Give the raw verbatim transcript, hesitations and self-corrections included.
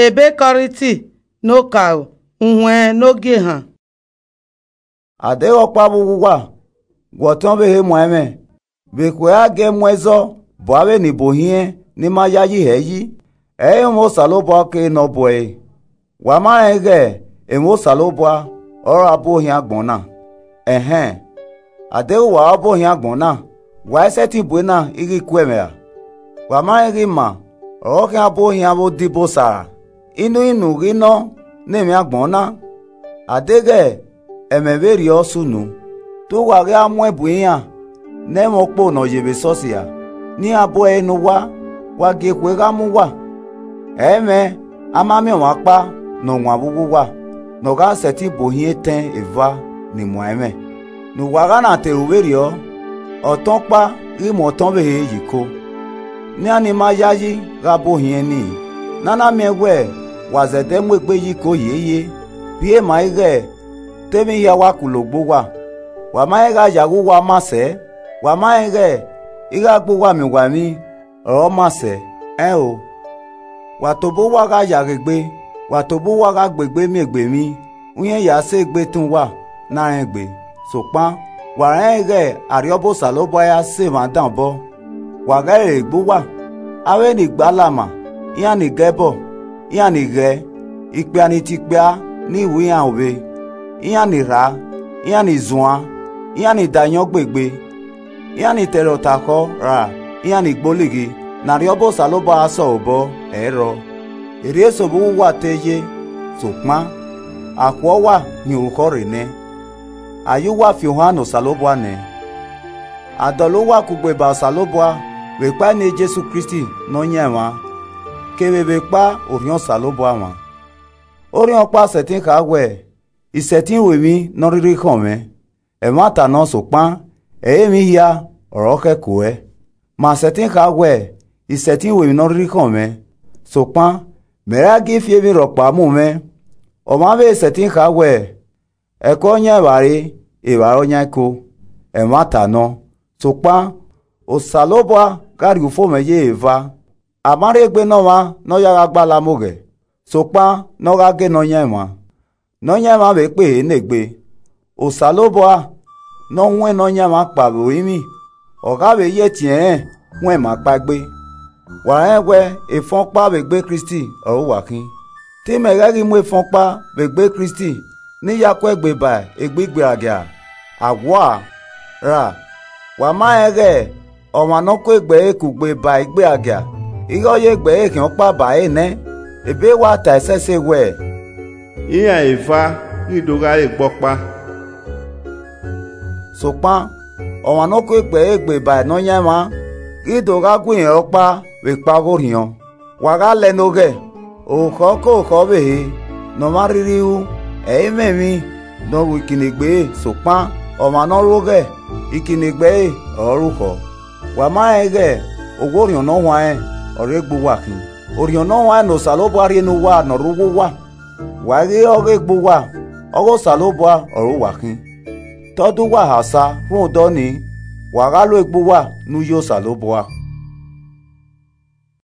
Ebe Kọrinti ne okaro, uhuẹn ne ogie han. A deghẹ ọkpa vbe uwu uwa, wẹ ọtẹn ọvbehe muan ẹmwẹ, vbe ekhue a gie mu ẹzọ bu avbe enibo hiẹn ne ima yayi hẹ yi, ẹ i re emwa Osanobua ọkere ne ọ bu ẹre. Wa ma rẹn ighẹ emwa Osanobua ọrọre a bu ohian agbọn na. Ẹhẹn, a deghẹ uwa ọre a bu ohian agbọn na, wa i sẹtin bu ena i ghi ku ẹmwẹ ra? Wa ma rẹn ighẹ ima ọre ọ khian bu ohian vbe odibo Osa ra? Inu inu ghi nọ ne emwi agbọn na? A deghẹ ẹmwẹ vberriọ sunu, te uwa ghi a muẹn bu iran ne ẹmwẹ okpo ne ọ ye vbe esọsi ra, ne iran bu ẹre ne uwa, wa gie ekhue gha mu uwa. Ẹ i mwẹ a ma miẹn ọmwa ọkpa ne ọ wan vbe uwu uwa, ne ọ gha sẹtin bu ohiẹn etẹn eva ni muan ẹmwẹ, ne uwa gha na te ru vberriọ, ọtẹn ọkpa ghi mu ọtẹn ọvbehe yi ko. Ne iran ni ima yayi gha bu ohiẹn nii, ne a na miẹn wẹ wa zẹdẹ mu egbe yi ko hiehie, rhie maa ighẹ te emwi hia wa ku logbe uwa. Wa ma rẹn gha ya ghe uwa ma sẹ, wa ma rẹn ighẹ ighe a gbe uwa miẹn uwa emwi ọre ọ ma sẹ, ẹn o. Wa tobọ uwa gha ya ghe egbe, wa tobọ uwa gha gbe egbe miẹn egbe emwi, uhiẹn ya sẹ egbe etẹn uwa na rẹn egbe. Sokpan, wa rẹn ighẹ Arriọba Osanobua ya sẹ emwa dan obọ. Wa ghẹ rere egbe uwa, avbe ni gbe alama, iran ni ga ẹbọ, iran ni ghẹ, ikpia ni tie ikpia ni ru iran ovbe, iran ni rha, iran ni zuan, iran ni da ayọn gbe egbe, iran ni tẹrhẹ otakhọ ra, iran ni gbe olighi, ne Arriọba Osanobua gha sẹ ọre obọ, ẹ i rrọọ. Erriọ eso vbe uwu uwa te ye, sokpan, akhuẹ uwa hin orukhọ rre nẹ. A ye uwa fi ohan ne Osanobua nẹ. A dọlọ uwa kugbe ba Osanobua vbe ekpa eni Jesu Kristi Nọyaẹnmwa, kevbe vbe ekpa Orhiọn Osanobua mwa. Orhiọn ọkpa sẹtin kha wẹẹ, I sẹtin ru emwi ne ọ rhirhi khọn mwẹ. Ẹmwata nọ, sokpan, ẹ i re emwi hia ọre ọ khẹko ruẹ. Ma sẹtin kha wẹẹ, I sẹtin ru emwi ne ọ rhirhi khọn mwẹ, sokpan, mẹ i ra gie fi emwi rhọkpa mu mwẹ. Ọmwa vbe sẹtin kha wẹẹ, ẹko yan evbare, evbare ọ yan ẹko. Ẹmwata nọ, sokpan, Osanobua gha rhie ufomwẹ ye eva. A ma rhie egbe ne ọmwa ne ọ ya gha gba alamughẹ, sokpan ne ọ gha gie Nọyaẹnmwa, Nọyaẹnmwa vbe kpe ehe ne egbe. Osanobua ne ọ huẹn Nọyaẹnmwa kpao vbe orinmwi, ọ gha vbe ye etiẹnrẹn huẹn ima kpaegbe. Wa rẹn wẹ efẹn ọkpa vbe egbe Kristi ọre uwa khin. Te imẹ ghẹ ghi mu efẹn ọkpa vbe egbe Kristi ne I ya ku ẹgbe ba egbe igbeagia? Awua! Ra, wa ma rẹn ighẹ ọmwa ne ọ ku egbe ẹre kugbe ba igbeagia, ighẹ ọ ye egbe ẹre khian ọkpa ba ẹre nẹ? Ebe wa ta ẹsẹse wẹẹ, Iran eva ghi do gha re egbe ọkpa. Sokpan, ọmwa ne ọ ku egbe ẹre gbe ba Nọyaẹnmwa ghi do gha gu irẹn ọkpa vbe ekpa ọghe Orhiọn. Wa gha lẹ ne oghẹ, orukhọ ke orukhọ ọvbehe ne ọmwa rhirhi ru, ẹ i mwẹ emwi ne ọ ru ikinnegbe ẹre, sokpan, ọmwa ne ọ ru oghẹ, ikinnegbe ẹre ọre ọ ru khọ. Wa ma rẹn ighẹ owa Orhiọn Ne Ọ Huanrẹn ọre egbe uwa khin. Orhiọn Ne Ọ Huanrẹn ne Osanobua rhie ne uwa ne ọ rre uwu uwa. Wa i ghi re ọghe egbe uwa, ọghe Osanobua ọre uwa khin. Te ọ da uwa ha osa rhunmwuda ọnii, wa gha lo egbe uwa ne uyi Osanobua.